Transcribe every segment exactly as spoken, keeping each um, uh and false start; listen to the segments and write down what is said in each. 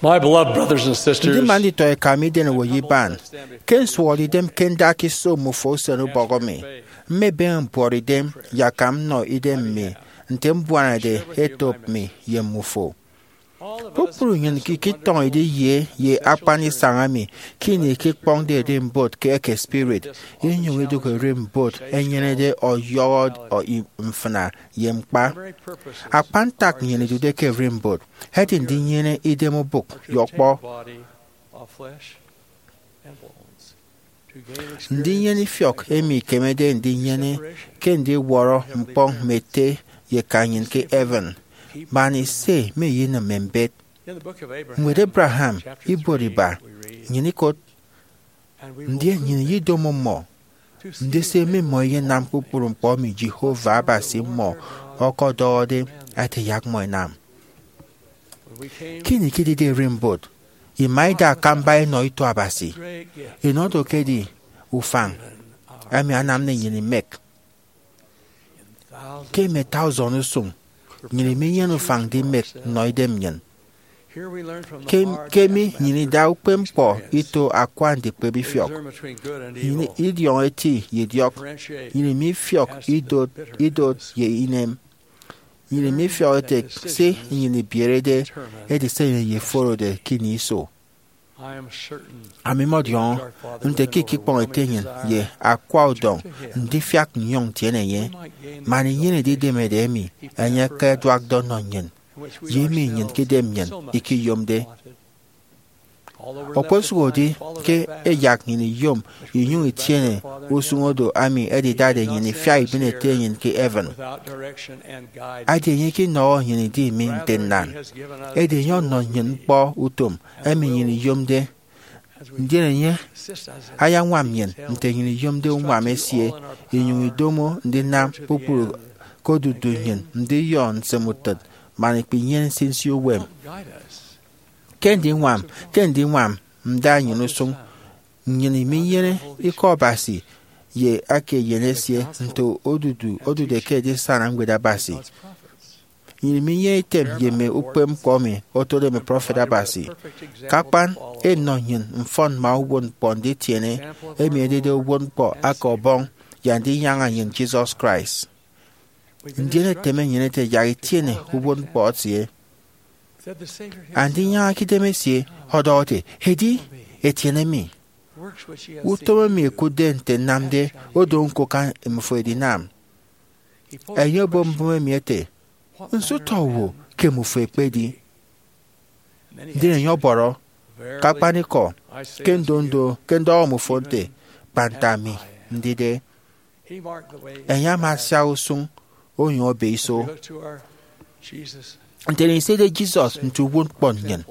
My beloved brothers and sisters, Ndima nditọ eka mi, iden owo ye iban, ke nsụhọde idem ke ndakiso mmufo usen ubọk mi, mmebeñe mbuọtidem yakam nnọ idem mi nte mbuanade etop mi ye mmufo. Kpukpru nnyịn ke iketọñọ idịghe ye akpan isañ emi ke ini ikekpọñde edimbot ke eke spirit, inyụñ idụk erimbot enyenede ọyọhọ mfịna ye ñkpa. Akpan ntak nnyịn idude ke erimbot edi ndinyene idem obụk ye ọkpọ, ndinyene ifiọk emi ikemede ndinyene ke ndiwọrọ ñkpọñ mme ete ye eka nnyịn ke heaven, man ise me eyinịm mme mbet. Ñwed Abraham ibuot iba nnyịn ikot, ndien nnyịn iyedomo mmọ ndise mmimọ iyenam kpukpru ñkpọ emi Jehovah Abasi mmọ ọkọdọhọde ete yak mmọ ẹnam. Ke ini ikidide erimbot, ima ida akamba inọ ito Abasi, inọ do ke edi ufañ emi anamde nnyịn imek. Ke mme tausen usụñ, nnyịn iminyene ufañ ndimek nnọ idem nnyịn. Ke, ke emi nnyịn ida ukpepñkpọ ito akwa ndikpep ifiọk. Nnyịn idiọñọ eti ye idiọk. Nnyịn imifiọk idot, idot ye inem. Nnyịn imifiọk ete se nnyịn ibierede edi se nnyịn eyeforode ke ini iso. Ami mọdiọñọ nte ke ikikpọñ ete nnyịn ye akwa udọñ ndifiak nnyụñ ntiene enye, man inyene edidemede emi enye ekeduakde ọnọ nnyịn, ye emi nnyịn ke idem nnyịn ikiyomde. Okposụkedi ke ẹyak nnyịn iyom inyụñ itiene usụñ odo emi edidade nnyịn ifiak ibịne Ete nnyịn ke heaven, edi enye ikinọhọ nnyịn idi mi nte nnan. Edi enye ọnọ nnyịn ñkpọ utom emi nnyịn iyomde, ndien enye ayañwam nnyịn nte nnyịn iyomde uñwam esie, inyụñ idomo ndinam kpukpru ke odudu nnyịn ndiyọ nsịm utịt man ikpinyene nsinsi uwem. Ke ndiñwam, ke ndiñwam nda nnyịn usụñ, nnyịn iminyene Ikọ Abasi ye aka eyen esie nte odudu odude ke edisana Ñwed Abasi. Nnyịn iminyene item ye mme ukpepñkpọ emi otode mme prọfet Abasi. Ke akpan, enọ nnyịn mfọn mme uwụtñkpọ nditiene, emi edide uwụtñkpọ aka Ọbọñ ye Andinyaña nnyịn Jesus Christ. Ndien eteme nnyịn ete yak itiene uwụtñkpọ esie. Andinyaña ke idem esie ọdọhọ ete, edi, etiene mi. Utom emi ẹkụtde nte nnamde odo ñko ke mmufo edinam. Enye obọ mbụme emi ete, nso utọ owo ke mmufo ẹkpedi? Ndien enye ọbọrọ, ke akpanikọ, ke ndondo, ke ndọhọ mmufo nte, kpa nte ami ndide. Enye ama asiak usụñ onyụñ ebe iso. Nte nnyịn isede Jesus nte uwụtñkpọ nnyịn,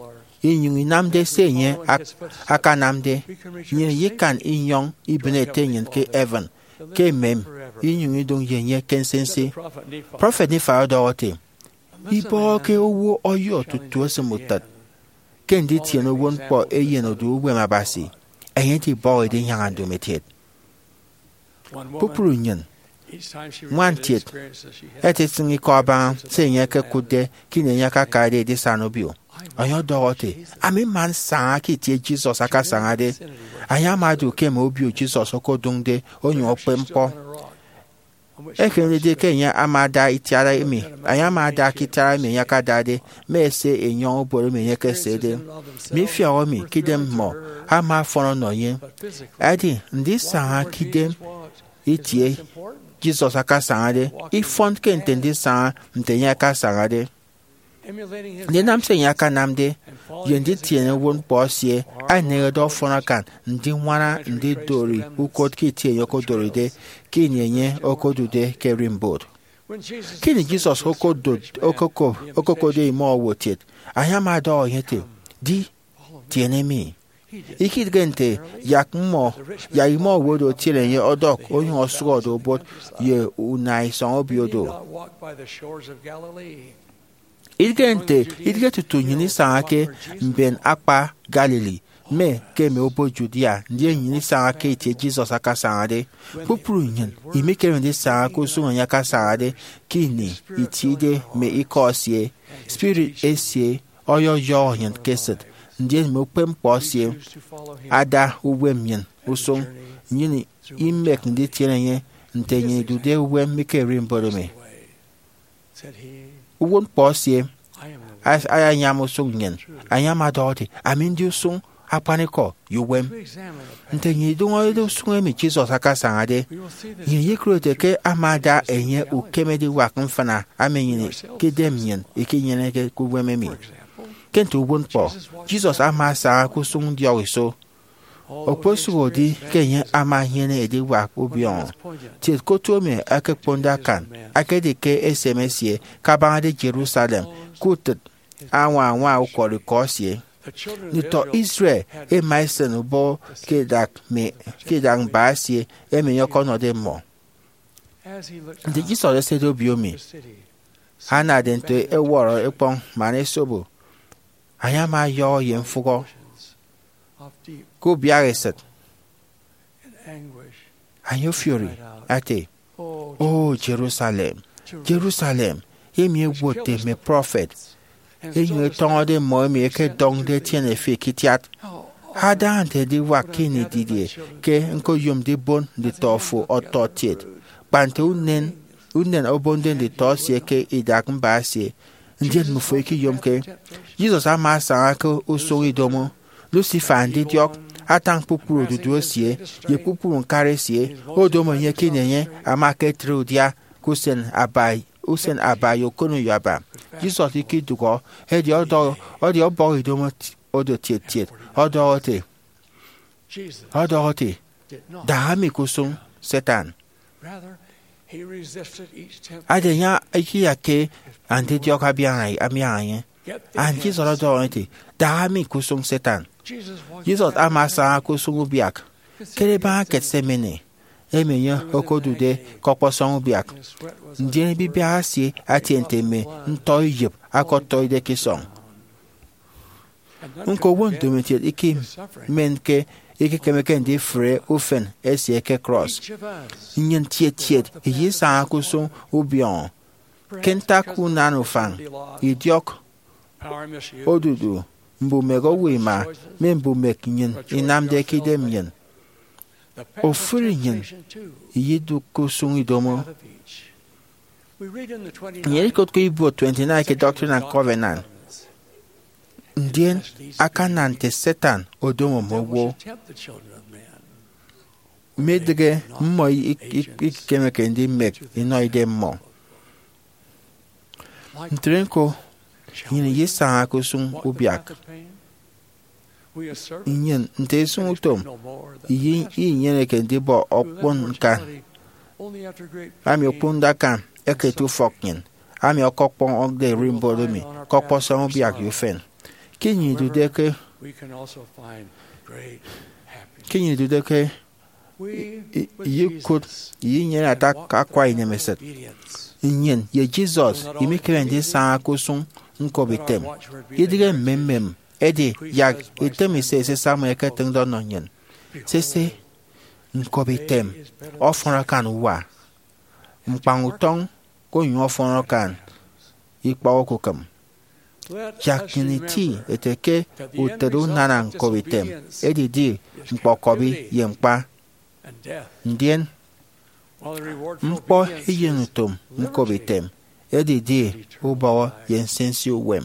inyụñ inamde se enye ak-, akanamde, nnyịn ikan inyọñ ibịne Ete nnyịn ke heaven, ke emem, inyụñ idụñ ye enye ke nsinsi. Prọfet Nephi ọdọhọ ete, ibọhọke owo ọyọ tutu esịm utịt, ke nditiene uwụtñkpọ eyen odu uwem Abasi, enye edibọhọ edinyaña ndomokiet. Kpukpru nnyịn, ñwan kiet, ẹtịtịñ ikọ abaña se enye ekekụtde ke ini enye akakade edisana obio. Enye ọdọhọ ete, ami mma nsaña ke itie Jesus akasañade. Enye ama ada ukeme obio Jesus okodụñde onyụñ okpep ñkpọ. Ekem didie ke enye ama ada itiara emi, enye ama ada ke itiara emi enye akadade, mme ese enyọñ obot emi enye ekesede. Mme ifiọk emi ke idem mmọ ama afọn ọnọ enye. Edi ndisaña ke idem itie Jesus akasañade ifọn ke nte ndisaña nte enye akasañade. Ndinam se enye akanamde ye nditiene uwụtñkpọ esie eneñede ọfọn akan ndiñwana ndidori ukot ke itie enye okodoride ke ini enye okodude ke erimbot. Ke ini Jesus okodot, okoko-, okokotde imọ owokiet, enye ama ọdọhọ enye ete, di, tiene mi. Ikidịghe nte yak mmọ, yak imọ owo do etiene enye ọdọk onyụñ ọsụhọde obot ye una isọñ obio do. Idịghe nte, idịghe tutu nnyịn isaña ke mben akpa Galilee, mme ke mme obot Judea, ndien nnyịn isaña ke itie Jesus akasañade. Kpukpru nnyịn imikeme ndisaña ke usụñ enye akasañade ke ini itiede mme ikọ esie. Spirit esie ọyọyọhọ nnyịn ke esịt, ndien mme ukpepñkpọ esie ada uwem nnyịn usụñ, nnyịn imek nditiene enye nte nnyịn idude uwem mi ke ererimbot emi. Uwụtñkpọ esie ayañwam usụñ nnyịn. Enye ama ọdọhọ ete, "Ami ndi usụñ, akpanikọ, ye uwem." Nte nnyịn idụñọde usụñ emi Jesus akasañade, nnyịn iyekụt ete ke ama ada enye ukem ediwak mfịna emi nnyịn ke idem nnyịn ikinyeneke ke uwem emi. Ke nte uwụtñkpọ, Jesus ama asaña ke usụñ ndiọk iso. Okposụkedi ke enye ama enyene ediwak ubiọñọ, tiet ke otu emi ẹkekponde akan, ekedi ke esem esie kabañade Jerusalem ke utịt añwa añwa ukwọrọikọ esie. Nditọ Israel ẹma ẹsịn ubọhọ ke idak mme ke idak mba esie emi enye ọkọnọde mmọ. Nte Jesus esede obio emi anade nte ẹwọrọ ẹkpọñ man ẹsobo, enye ama ọyọhọ ye mfụhọ ke ubiaha esịt. Enye ofiori ete, "O Jerusalem, Jerusalem, emi ẹwotde mme prọfet, enyịñ etọñọde mmọ emi ẹkedọñde etiene efik itiat! Ada nte ediwak ke ini didie ke ñkoyomde ibon nditọ fo ọtọkiet, kpa nte unen unen obonde nditọ esie ke idak mba esie, ndien mmifo ikiyomke." Jesus ama asaña ke usụñ idomo. Lucifer ndidiọk atañ kpukpru odudu esie ye kpukpru ñkari esie odomo enye ke ini enye ama aketre udia ke usen aba usen aba ye okoneyo aba. Jesus ikidụhọ, edi ọdọhọ, edi ọbọhọ idomo oro tiet tiet, ọdọhọ ete, ọdọhọ ete, "Daha mi ke usụñ, Satan." Ada enye ikiyakke andidiọk abiaña abiaña enye. And Jesus ọdọhọ ete, "Daha mi ke usụñ, Satan." Jesus ama asaña ke usụñ ubiak. Kere baña Gethsemane, emi enye okodude ke ọkpọsọñ ubiak, ndien ibibiak esie atie nte mme ntọ iyịp akọtọide ke isọñ. Ñko, owo ndomokiet ikimenke ikekemeke ndifre ufen esie ke krọs. Nnyịn tiet tiet iyesaña ke usụñ ubiọñọ ke ntak unan ufañ, idiọk, odudu, mbumek owo ima, mme mbumek nnyịn inamde ke idem nnyịn. Ofụri nnyịn iyedụk ke usụñ idomo. Nnyịn ikot ke ibuot twenty-nine ke Doctrine and Covenants, ndien akana nte Satan odomo mme owo, midịghe mmọ ik- ik- ikikemeke ndimek inọ idem mmọ. Ntre ñko, nnyịn iyesaña ke usụñ ubiak. Nnyịn, nte isụñutom, iyi- iyinyeneke ndibọ okpon ñkan, ami okponde akan eke eti ufọk nnyịn, ami ọkọkpọñde ererimbot emi ke ọkpọsọñ ubiak ye ufen. Ke nnyịn idude ke ke nnyịn idude ke i- i- iyikụt iyinyene ata akwa inemesịt, nnyịn ye Jesus imikeme ndisaña ke usụñ ñkobitem, idịghe mmemmem. Edi yak item ise esisama eketịñde ọnọ nnyịn. Sese, ñkobitem ọfọn akan uwa, ñkpañ utọñ onyụñ ọfọn akan ikpọ okukịm. Yak nnyịn iti ete ke utịt unana ñkobitem edidi ñkpọkọbi ye ñkpa, ndien ñkpọ eyenutom ñkobitem edidi ubọhọ ye nsinsi uwem.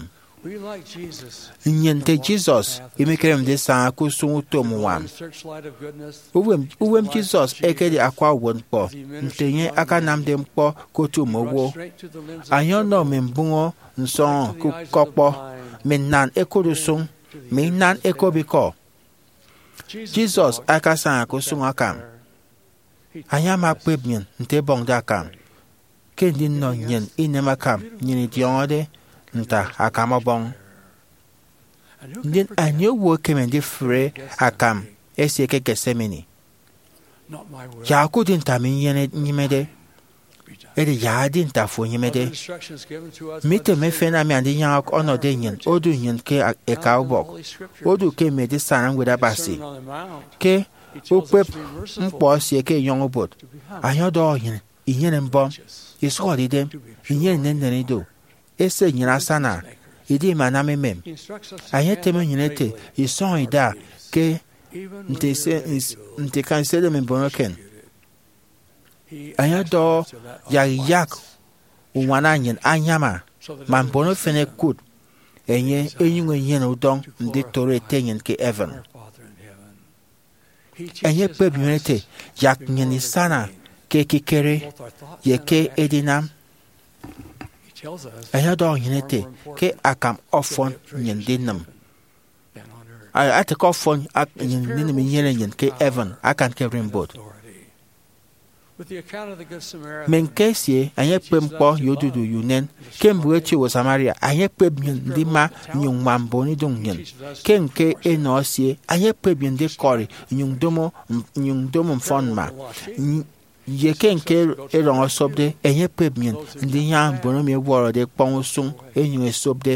Nnyịn nte Jesus imikemede ndisaña ke usụñ utom uñwam. Uwem, uwem Jesus ekedi akwa uwụtñkpọ nte enye akanamde ñkpọ ke otu mme owo. Enye ọnọ mme mbụñọ nsọñọ ke ukọkpọ, mme nnan ẹkot usụñ, mme inan ẹkop ikọ. Jesus akasaña ke usụñ akam. Enye ama akpep nnyịn nte ẹbọñde akam, ke ndinọ nnyịn inem akam nnyịn idiọñọde nte akam Ọbọñ. Ndien anie owo ekeme ndifre akam esie ke Gethsemane? Yak okudi nte ami nyene- nyịmede, edi yak edi nte afo enyịmede. Mme item efen emi Andinyaña ọnọde nnyịn odu nnyịn ke eka ubọk, odu ke mme edisana Ñwed Abasi. Ke ukpep ñkpọ esie ke enyọñ obot, enye ọdọhọ nnyịn inyene mbọm, isụhọde idem, inyene nnennen ido, ese nnyịn asana, idimanam emem. Enye eteme nnyịn ete, isọñ ida ke nte ise- ns- nte ikañ isedeme mbon eken. Enye ọdọhọ, yak iyak uñwana nnyịn anyama, man mbon efen ẹkụt enye ẹnyụñ ẹnyene udọñ nditoro Ete nnyịn ke heaven. Enye ekpep nnyịn ete, yak nnyịn isana ke ekikere ye ke edinam. Enye ọdọhọ nnyịn ete ke akam ọfọn nnyịn ndinịm, ate ke ọfọn ak- nnyịn ndinịm inyene nnyịn ke heaven akan ke ererimbot. Mme ñke esie, enye ekpep ñkpọ ye odudu ye unen. Ke mbụk eti owo Samaria, enye ekpep nnyịn ndima nnyụñ ññwam mbon idụñ nnyịn. Ke ñke enọ esie, enye ekpep nnyịn ndikọri nnyụñ ndomo, nnyụñ ndomo mfọn mma. Ye ke ñke erọñ osopde, enye ekpep nnyịn ndinyaña mbon emi ẹwọrọde ekpọñ usụñ ẹnyụñ ẹsopde.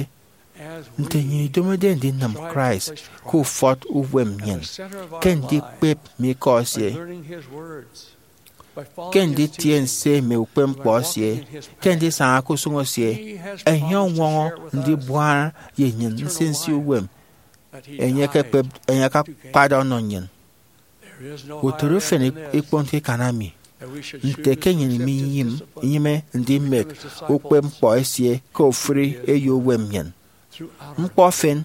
Nte nnyịn idomode ndinịm Christ ke ufọt uwem nnyịn, ke ndikpep mme ikọ esie, ke nditie nse mme ukpepñkpọ esie, ke ndisaña ke usụñ esie, enye ọñwọñọ ndibuana ye nnyịn nsinsi uwem enye ekekpep- enye akakpade ọnọ nnyịn. Utịt ufen ikponke ikan emi nte ke nnyịn minyịme ndimek ukpepñkpọ esie ke ofụri eyo uwem nnyịn. Ñkpọ efen,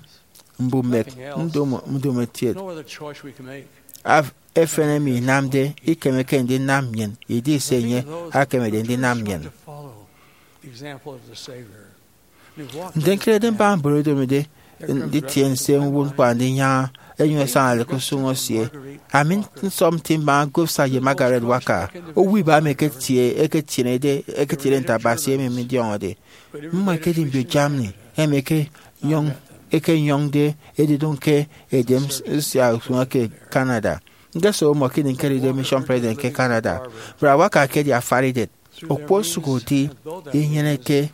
mbumek, ndomo- ndomokiet efen emi inamde ikemeke ndinam nnyịn idi se enye akemede ndinam nnyịn. Nte ñkerede mbaña mbon ẹdomode nditie nse ñwụt ñkpọ andinyaña ẹnyụñ ẹsañade ke usụñ esie, ami nsọp nti mbaña Gustav ye Margarete Wacker, owo iba emi eketie- eketienede- eketiene nte Abasi emi midiọñọde. Mmọ ekedi mbio Germany emi ekenyọñ- ekenyọñde edidụñ ke edem nsia usụñ eke Canada. Ñkesobo mmọ ke ini ñkedide mission president ke Canada. Brother Wacker ekedi afaridet. Okposụkedi inyeneke-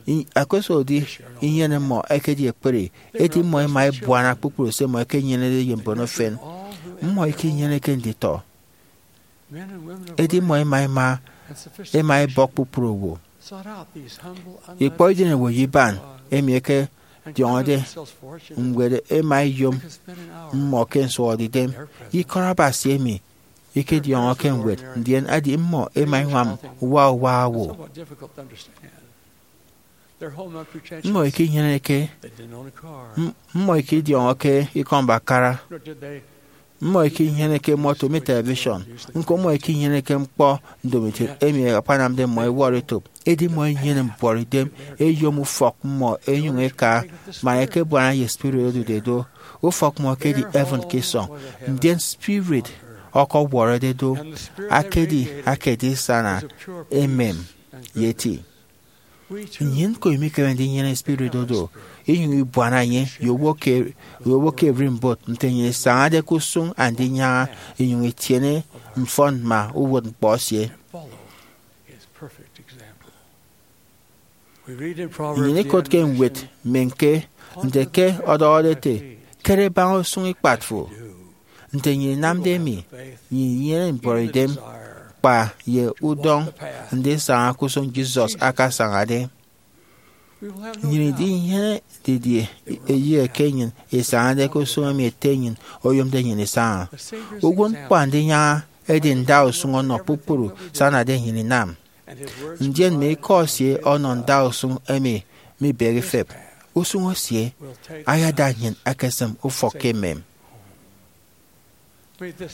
i- okposụkedi inyene mmọ ekedi ekpri, edi mmọ ẹma ẹbuana kpukpru se mmọ ẹkenyenede ye mbon efen. Mmọ ikinyeneke nditọ, edi mmọ ẹma ẹma ẹma ẹbọk kpukpru owo. Ikpọ idenewo ye iban emi ẹkediọñọde ñwed ẹma ẹyom mmọ ke nsụhọdeidem ye ikọt Abasi emi ikediọñọke ñwed, ndien edi mmọ ẹma ẹñwam uwa uwa owo. Mmọ ikinyeneke- m- mmọ ikidiọñọke ikọ mbakara. Mmọ ikinyeneke moto mi television. Ñko mmọ ikinyeneke ñkpọ ndomokiet emi akpanamde mmọ ẹwọrọ etop. Edi mmọ ẹnyene mbuọtidem ẹyom ufọk mmọ ẹnyụñ ẹka man ẹkebuana ye spirit odude do. Ufọk mmọ ekedi heaven ke isọñ, ndien spirit ọkọwọrọde do akedi akedisana emem ye eti. Nnyịn ñko imikeme ndinyene spirit odo inyụñ ibuana enye ye owo ke- ye owo ke ererimbot nte nnyịn isañade ke usụñ andinyaña inyụñ itiene mfọn ma uwụtñkpọ esie. Nnyịn ikot ke ñwed mme ñke nte ke ọdọhọde ete, kere baña usụñ ikpat fo. Nte nnyịn inamde emi, nnyịn inyene mbuọtidem kpa ye udọñ ndisaña ke usụñ Jesus akasañade. Nnyịn idinyene didie eyịghe ke nnyịn isañade ke usụñ emi Ete nnyịn oyomde nnyịn isaña? Uwụtñkpọ andinyaña edi ndausụñ ọnọ kpukpru se anade nnyịn inam. Ndien mme ikọ esie ọnọ ndausụñ emi mibehe ifep. Usụñ esie ayada nnyịn ekesịm ufọk ke emem.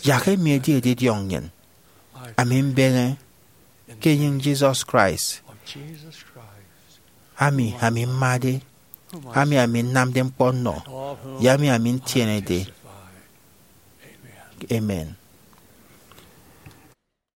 Yak emi edi edidiọñ nnyịn. Ami mbeñe ke enyịñ Jesus Christ, ami ami mmade, ami ami nnamde ñkpọ nnọ, ye ami ami ntienede. Amen.